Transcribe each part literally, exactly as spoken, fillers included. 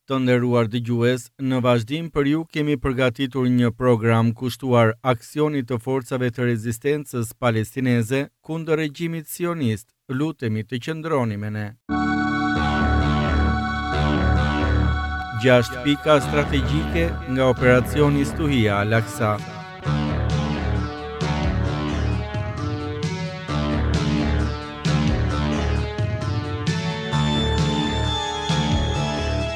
Të nderuar dëgjues, në vazhdim për ju kemi përgatitur një program kushtuar aksionit të forcave të rezistencës palestineze kundër regjimit sionist. Lutemi të qëndroni me ne. Gjashtë pika strategjike nga operacioni Stuhia Al-Aqsa.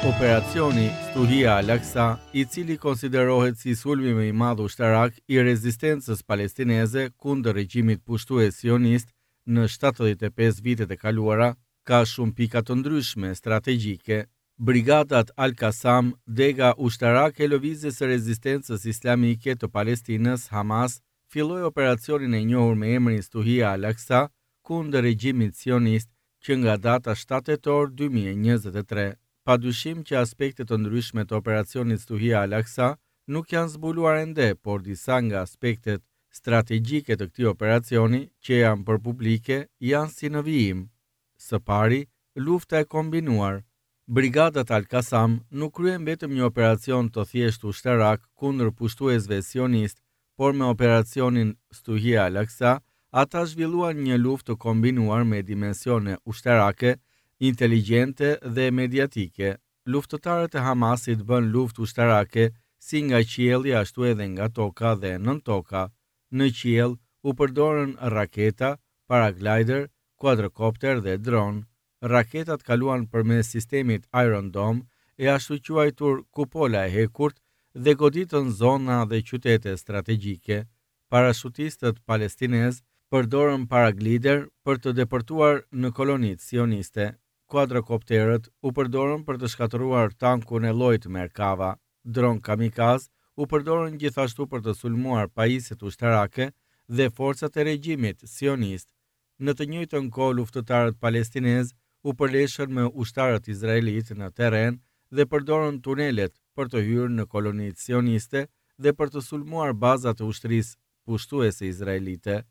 Operacioni Stuhia Al-Aqsa, i cili konsiderohet si sulmi më i madh ushtarak i rezistencës palestineze kundër regjimit pushtues sionist në shtatëdhjetë e pesë vitet e kaluara, ka shumë pika të ndryshme strategjike. Brigadat Al-Qassam, dega ushtarake e lëvizjes së rezistencës islamike të Palestinës, Hamas, filloi operacionin e njohur me emrin Stuhia Al-Aqsa kundër regjimit sionist që nga data shtatë tetor dy mijë e njëzet e tre. Padyshim që aspekte të ndryshme të operacionit Stuhia Al-Aqsa nuk janë zbuluar ende, por disa nga aspektet strategjike të këtij operacioni që janë për publike janë si në vijim. Së pari, lufta e kombinuar. Brigadat Al-Qassam nuk kryen vetëm një operacion të thjeshtë ushtarak kundër pushtuesve sionist, por me operacionin Stuhia Al-Aqsa ata zhvilluan një luftë të kombinuar me dimensione ushtarake, inteligjente dhe mediatike. Luftëtarët e Hamasit bën luftë ushtarake si nga qielli ashtu edhe nga toka dhe nën toka. Në qiell u përdorën raketa, paraglider, quadrocopter dhe dron. Raketat kaluan përmes sistemit Iron Dome, e ashtu quajtur kupola e hekurt, dhe goditën zona dhe qytete strategjike. Parashutistët palestinez përdorën paraglider për të depërtuar në kolonitë sioniste. Quadrocopterët u përdorën për të shkatërruar tankun e llojit Merkava. Dron kamikaz u përdorën gjithashtu për të sulmuar pajisjet ushtarake dhe forcat e regjimit sionist. Në të njëjtën kohë, luftëtarët palestinez u përleshën me ushtarët izraelit në terren dhe përdorën tunelet për të hyrë në kolonitë sioniste dhe për të sulmuar bazat e ushtrisë pushtuese izraelite.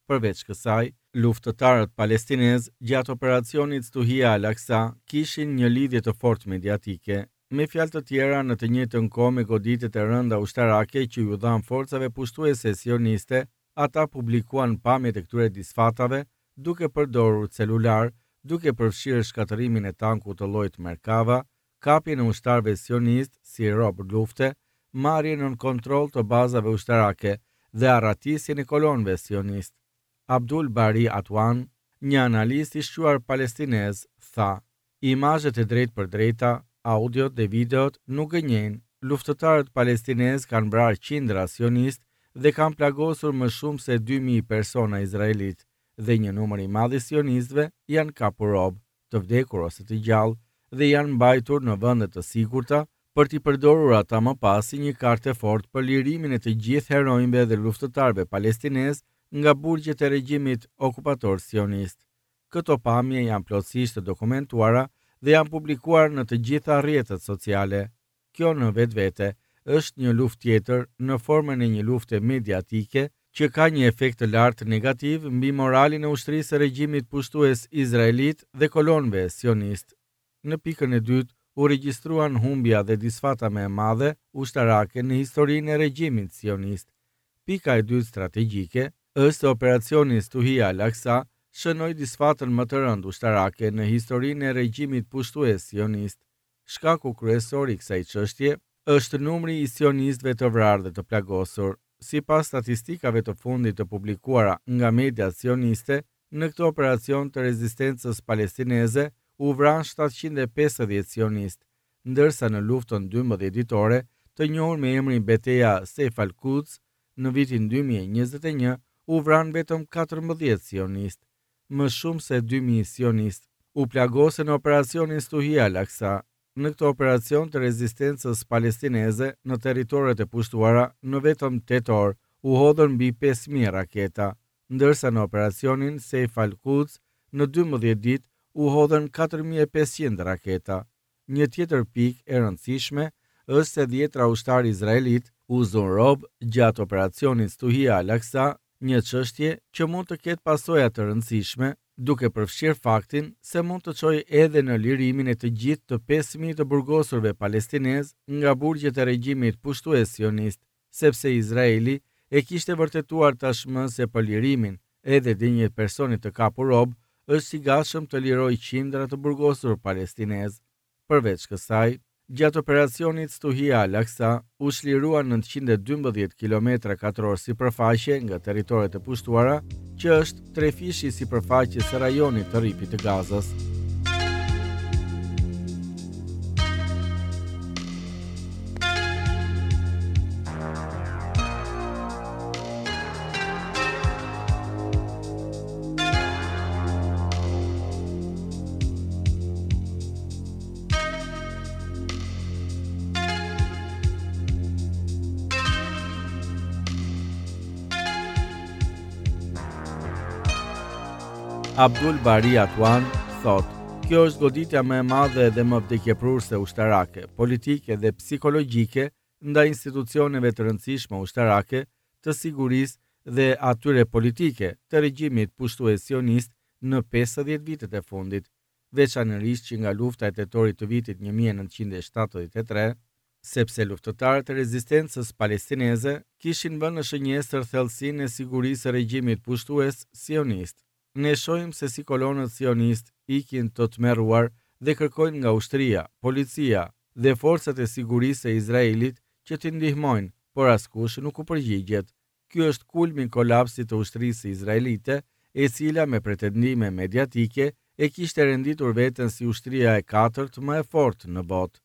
Përveç kësaj, luftëtarët palestinez gjatë operacionit Stuhia Al-Aqsa kishin një lidhje të fortë mediatike. Me fjalë të tjera, në të njëjtën kohë me goditjet e rënda ushtarake që ju dhanë forcave pushtuese sioniste, ata publikuan pamjet e këtyre disfatave duke përdorur celular, duke përfshirë shkatërrimin e tankut të llojit Merkava, kapjen e ushtarëve sionist si rob lufte, marrjen nën kontroll të bazave ushtarake dhe arratisjen e kolonëve sionist. Abdul Bari Atwan, një analist i shquar palestinez, tha: Imazhet e drejtë për drejta, audiot dhe videot nuk gënjejnë. Luftëtarët palestinez kanë vrarë qindra sionist dhe kanë plagosur më shumë se dy mijë persona izraelit, dhe një numër i madh i sionistëve janë kapur rob, të vdekur ose të gjallë, dhe janë mbajtur në vende të sigurta për t'i përdorur ata më pas si një kartë e fortë për lirimin e të gjithë heronjve dhe luftëtarëve palestinez nga burgjet e regjimit okupator sionist. Këto pamje janë plotësisht të dokumentuara dhe janë publikuar në të gjitha rrjetet sociale. Kjo në vetvete është një luftë tjetër në formën e një lufte mediatike që ka një efekt të lartë negativ mbi moralin e ushtrisë së regjimit pushtues izraelit dhe kolonëve sionist. Në pikën e dytë u regjistruan humbja dhe disfata më e madhe ushtarake në historinë e regjimit sionist. Pika e dytë strategjike është se operacioni Stuhia Al-Aqsa shënoi disfatën më të rëndë ushtarake në historinë e regjimit pushtues sionist. Shkaku kryesor i kësaj çështje është numri i sionistëve të vrarë dhe të plagosur. Sipas statistikave të fundit të publikuara nga mediat sioniste, në këtë operacion të rezistencës palestineze u vranë shtatëqind e pesëdhjetë sionistë, ndërsa në luftën dymbëdhjetë ditore, të njohur me emrin Beteja Seif al-Quds, në vitin dy mijë e njëzet e një u vranë vetëm katërmbëdhjetë sionistë. Më shumë se dy mijë sionistë u plagosën në operacionin Stuhia Al-Aqsa. Në këtë operacion të rezistencës palestineze në territoret e pushtuara në vetëm tetë orë u hodhën mbi pesë mijë raketa, ndërsa në operacionin Seif al-Quds në dymbëdhjetë ditë u hodhën katër mijë e pesëqind raketa. Një tjetër pikë e rëndësishme është se dhjetra ushtarë izraelit u zunë rob gjatë operacionit Stuhia Al-Aqsa, një çështje që mund të ketë pasoja të rëndësishme duke përfshirë faktin se mund të çojë edhe në lirimin e të gjithë të pesë mijë të burgosurve palestinezë nga burgjet e regjimit pushtues sionist, sepse Izraeli e kishte vërtetuar tashmë se për lirimin edhe të një personi të kapur rob është i gatshëm të lirojë qindra të burgosur palestinezë. Përveç kësaj, gjatë operacionit Stuhia Al-Aqsa u çliruan nëntëqind e dymbëdhjetë kilometra katror sipërfaqe nga territoret e pushtuara, që është trefishi i sipërfaqes së rajonit të Rripit të Gazës. Abdul Bari Atwan thotë, kjo është goditja më e madhe dhe më vdekjeprurëse ushtarake, politike dhe psikologjike ndaj institucioneve të rëndësishme ushtarake, të sigurisë dhe atyre politike të regjimit pushtues sionist në pesëdhjetë vitet e fundit, veçanërisht që nga lufta e tetorit të vitit një mijë e nëntëqind e shtatëdhjetë e tre, sepse luftëtarët e rezistencës palestineze kishin vënë në shënjestër thellësinë e sigurisë së regjimit pushtues sionist. Ne shohim se si kolonët sionist ikin të tmerruar dhe kërkojnë nga ushtria, policia dhe forcat e sigurisë së Izraelit që t'i ndihmojnë, por askush nuk u përgjigjet. Ky është kulmi i kolapsit të ushtrisë izraelite, e cila me pretendime mediatike e kishte renditur veten si ushtria e katërt më e fortë në botë.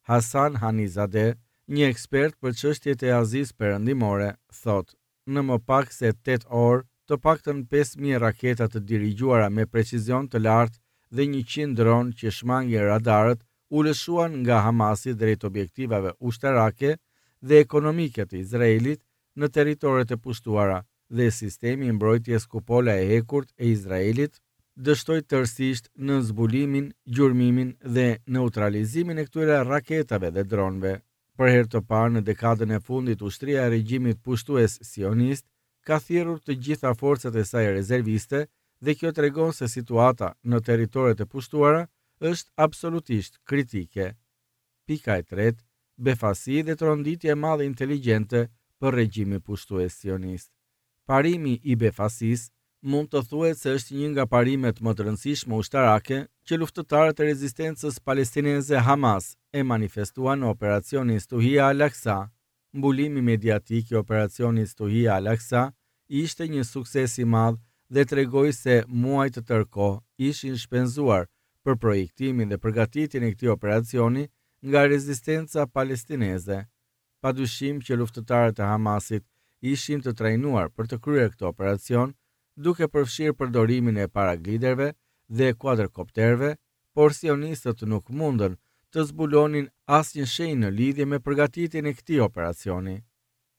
Hasan Hanizadeh, një ekspert për çështjet e Azisë Perëndimore, thotë, në më pak se tetë orë, të paktën pesë mijë raketa të dirigjuara me precizion të lartë dhe njëqind dron që shmangin radarët u lëshuan nga Hamasi drejt objektivave ushtarake dhe ekonomike të Izraelit në territoret e pushtuara dhe sistemi i mbrojtjes kupola e hekurt e Izraelit dështoi tërësisht në zbulimin, gjurmimin dhe neutralizimin e këtyre raketave dhe dronëve. Për herë të parë në dekadën e fundit, ushtria e regjimit pushtues sionist ka thirrur të gjitha forcat e saj rezerviste dhe kjo tregon se situata në territoret e pushtuara është absolutisht kritike. Pika e tretë, befasi dhe tronditje e madhe inteligjente për regjimin pushtues sionist. Parimi i befasisë mund të thuhet se është një nga parimet më të rëndësishme ushtarake që luftëtarët e rezistencës palestineze Hamas e manifestuan në operacionin Stuhia Al-Aqsa. Mbulimi mediatik i operacionit Stuhia Al-Aqsa ishte një sukses i madh dhe tregoi se muaj të tërë kohë ishin shpenzuar për projektimin dhe përgatitjen e këtij operacioni nga rezistenca palestineze. Padyshim që luftëtarët e Hamasit ishin të trajnuar për të kryer këtë operacion, duke përfshirë përdorimin e paragliderëve dhe kuadrokopterëve, por sionistët nuk mundën të zbulonin asnjë shenjë në lidhje me përgatitjen e këtij operacioni.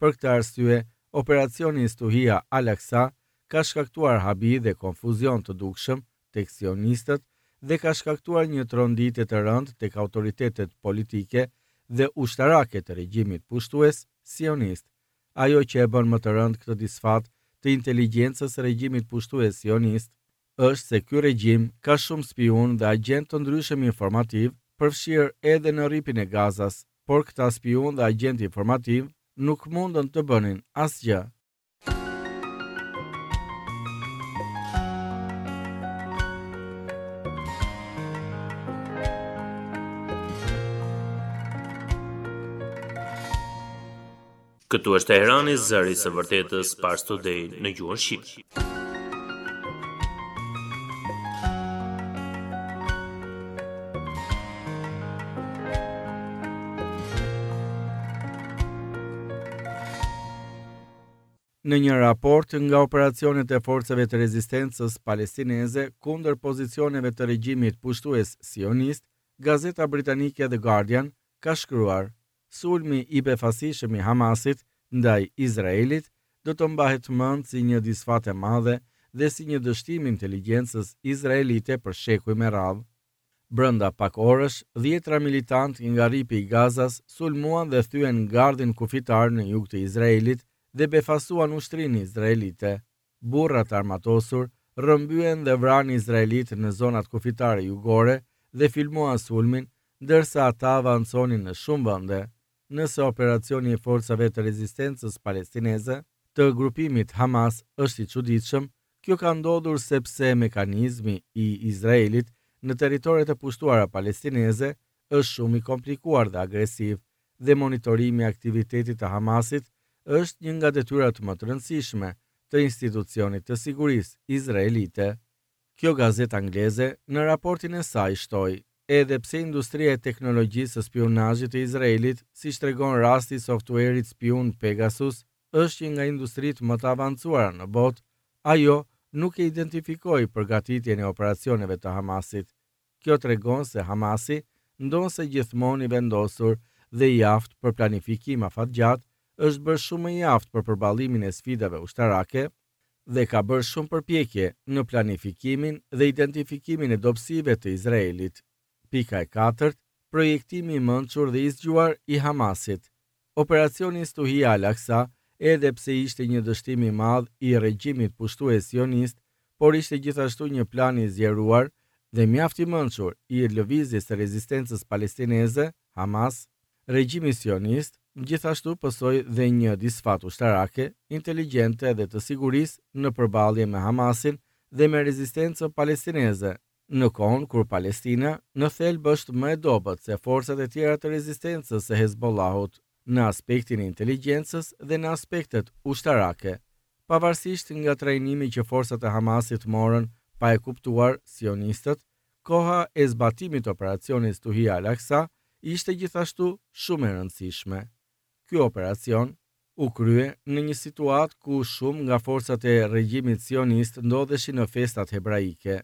Për këtë arsye, operacioni Stuhia Al-Aqsa ka shkaktuar habi dhe konfuzion të dukshëm tek sionistët dhe ka shkaktuar një tronditje të rëndë tek autoritetet politike dhe ushtarake të regjimit pushtues sionist. Ajo që e bën më të rëndë këtë disfat të inteligjencës së regjimit pushtues sionist është se ky regjim ka shumë spiun dhe agent të ndryshëm informativ, përfshirë edhe në rripin e Gazas, por këta spiun dhe agent informativ nuk mundën të bënin asgjë. Këtu është Teherani, zëri i së vërtetës Pars Today në gjuhën shqipe. Në një raport nga operacionet e forcave të rezistencës palestineze kundër pozicioneve të regjimit pushtues sionist, gazeta britanike The Guardian ka shkruar: Sulmi i befasishëm i Hamasit ndaj Izraelit do të mbahet mend si një disfatë e madhe dhe si një dështim inteligjencës izraelite për shekuj me radhë. Brenda pak orësh, dhjetra militantë nga rripi i Gazas sulmuan dhe thyen gardhin kufitar në jug të Izraelit dhe befasuan ushtrinë izraelite. Burrat armatosur rrëmbyen dhe vranë izraelitë në zonat kufitare jugore dhe filmuan sulmin, ndërsa ata avanconin në shumë vende. Nëse operacioni i forcave të rezistencës palestineze të grupimit Hamas është i çuditshëm, kjo ka ndodhur sepse mekanizmi i Izraelit në territoret e pushtuara palestineze është shumë i komplikuar dhe agresiv, dhe monitorimi i aktivitetit të Hamasit është një nga detyrat më të rëndësishme të institucionit të sigurisë izraelite. Kjo gazetë angleze në raportin e saj shtoi, edhe pse industria e teknologjisë së spionazhit të Izraelit, siç tregon rasti i softuerit spiun Pegasus, është një nga industritë më të avancuara në botë, ajo nuk e identifikoi përgatitjen e operacioneve të Hamasit. Kjo tregon se Hamasi, ndonëse gjithmonë i vendosur dhe i aftë për planifikim afatgjatë, është bërë shumë më i aftë për përballimin e sfidave ushtarake dhe ka bërë shumë përpjekje në planifikimin dhe identifikimin e dobësive të Izraelit. Pika e katërt, projektimi i mençur dhe i zgjuar i Hamasit. Operacioni Stuhia Al-Aqsa, edhe pse ishte një dështim i madh i regjimit pushtues sionist, por ishte gjithashtu një plan i zgjeruar dhe mjaft i mençur i lëvizjes së rezistencës palestineze, Hamas. Regjimi sionist gjithashtu pësoi dhe një disfatë ushtarake, inteligjente dhe të sigurisë në përballje me Hamasin dhe me rezistencën palestineze, në kohën kur Palestina në thelb është më e dobët se forcat e tjera të rezistencës së Hezbollahut në aspektin e inteligjencës dhe në aspektet ushtarake. Pavarësisht nga trajnimi që forcat e Hamasit morën pa e kuptuar sionistët, koha e zbatimit të operacionit Stuhia Al-Aqsa ishte gjithashtu shumë e rëndësishme. Ky operacion u krye në një situatë ku shumë nga forcat e regjimit sionist ndodheshin në festat hebraike.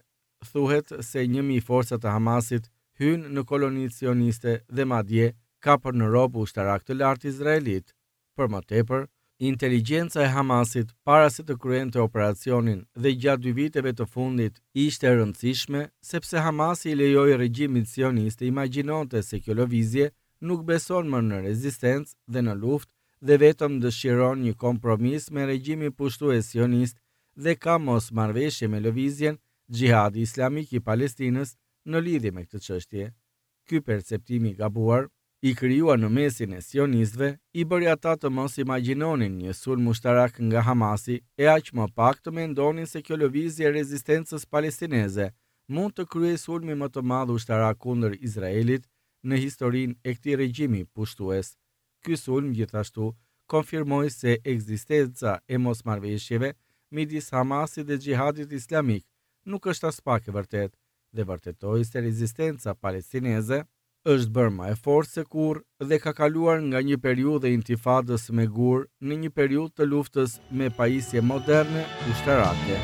Thuhet se një mijë forca të Hamasit hynë në kolonitë sioniste dhe madje kapën në rob ushtarak të lartë izraelit. Për më tepër, inteligjenca e Hamasit para se të kryente operacionin dhe gjatë dy viteve të fundit ishte e rëndësishme sepse Hamasi i lejoi regjimit sionist të imagjinonte se kjo lëvizje nuk beson më në rezistencë dhe në luftë dhe vetëm dëshiron një kompromis me regjimin pushtues sionist dhe ka mosmarrëveshje me lëvizjen Xhihadi Islamik i Palestinës në lidhje me këtë çështje. Ky perceptim i gabuar, i krijuar në mesin e sionistëve, i bëri ata të mos imagjinonin një sulm ushtarak nga Hamasi e aq më pak të mendonin se kjo lëvizje e rezistencës palestineze mund të kryejë sulmin më të madh ushtarak kundër Izraelit në historinë e këtij regjimi pushtues. Ky sulm gjithashtu konfirmoi se ekzistenca e mosmarrëveshjeve midis Hamasit dhe Xhihadit Islamik nuk është aspak e vërtetë dhe vërtetoi se rezistenca palestineze është bërë më e fortë se kurrë dhe ka kaluar nga një periudhë e intifadës me gur në një periudhë të luftës me pajisje moderne ushtarake.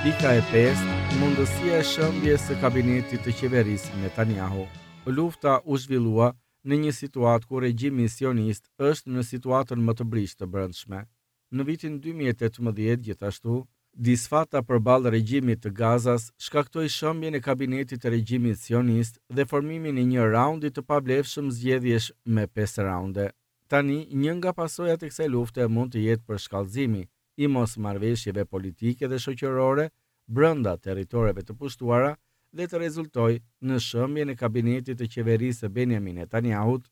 Pika e pestë, mundësia e shëmbjes së kabinetit të qeverisë Netanyahu. Lufta u zhvillua në një situatë ku regjimi sionist është në situatën më të brishtë të brendshme. Në vitin dy mijë e tetëmbëdhjetë gjithashtu, disfata përballë regjimit të Gazas shkaktoi shëmbjen e kabinetit të regjimit sionist dhe formimin e një raundi të pavlefshëm zgjedhjesh me pesë raunde. Tani, një nga pasojat e kësaj lufte mund të jetë përshkallëzimi i mosmarrëveshjeve politike dhe shoqërore brenda territoreve të pushtuara dhe të rezultojë në shëmbjen e kabinetit të qeverisë së Benjamin Netanyahut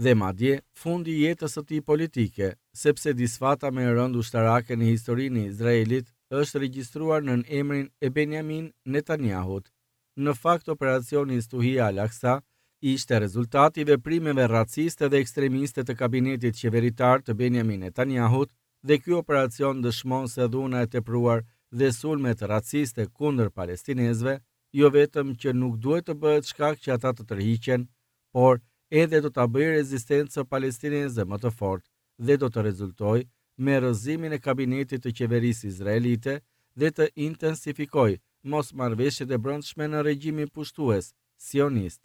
dhe madje fundi i jetës së tij politike, sepse disfata më e rëndë ushtarake në historinë e Izraelit është regjistruar nën emrin e Benjamin Netanyahut. Në fakt, operacioni Stuhia Al-Aqsa ishte rezultati i veprimeve raciste dhe ekstremiste të kabinetit qeveritar të Benjamin Netanyahut dhe ky operacion dëshmon se dhuna e tepruar dhe sulmet raciste kundër palestinezëve jo vetëm që nuk duhet të bëhet shkak që ata të tërhiqen, por edhe do ta bëjë rezistencën palestineze më të fortë dhe do të rezultojë me rrëzimin e kabinetit të qeverisë izraelite dhe të intensifikojë mosmarrëveshjet e brendshme në regjimin pushtues sionist.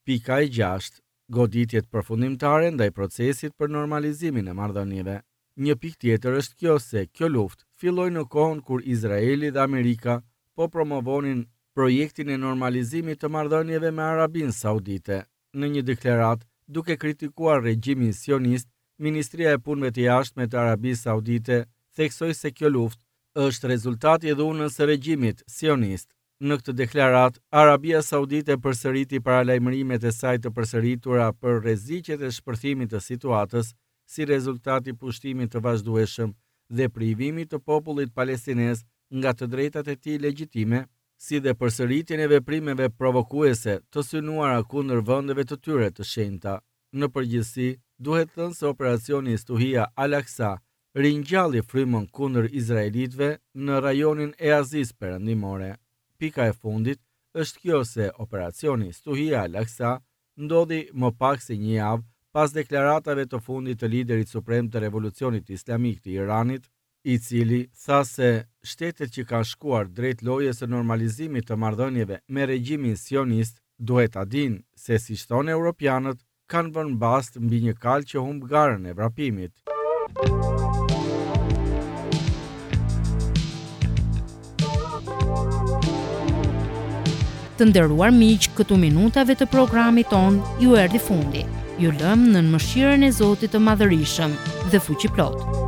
Pika e gjashtë, goditjet përfundimtare ndaj procesit për normalizimin e marrëdhënieve. Një pikë tjetër është kjo se kjo luftë filloi në kohën kur Izraeli dhe Amerika po promovonin projektin e normalizimit të marrëdhënieve me Arabinë Saudite. Në një deklaratë, duke kritikuar regjimin sionist, Ministria e Punëve të Jashtme të Arabisë Saudite theksoi se kjo luftë është rezultati i dhunës së regjimit sionist. Në këtë deklaratë, Arabia Saudite përsëriti paralajmërimet e saj të përsëritura për rreziqet e shpërthimit të situatës si rezultat i pushtimit të vazhdueshëm dhe privimit të popullit palestinez nga të drejtat e tij legjitime, si dhe përsëritjen e veprimeve provokuese të synuara kundër vendeve të tyre të shenjta. Në përgjithësi, duhet thënë se operacioni Stuhia Al-Aqsa ringjalli frymën kundër izraelitëve në rajonin e Azisë Perëndimore. Pika e fundit është kjo se operacioni Stuhia Al-Aqsa ndodhi më pak se një javë pas deklaratave të fundit të liderit suprem të Revolucionit Islamik të Iranit, i cili tha se shtetet që kanë shkuar drejt lojës së normalizimit të marrëdhënieve me regjimin sionist duhet ta dinë se si thonë europianët kanë vënë bast mbi një kalë që humb garën e vrapimit. Të nderuar miq, këtu minutave të programit tonë ju erdhi fundi. Ju lëm nën mëshirën e Zotit të Madhërishëm dhe fuqiplot.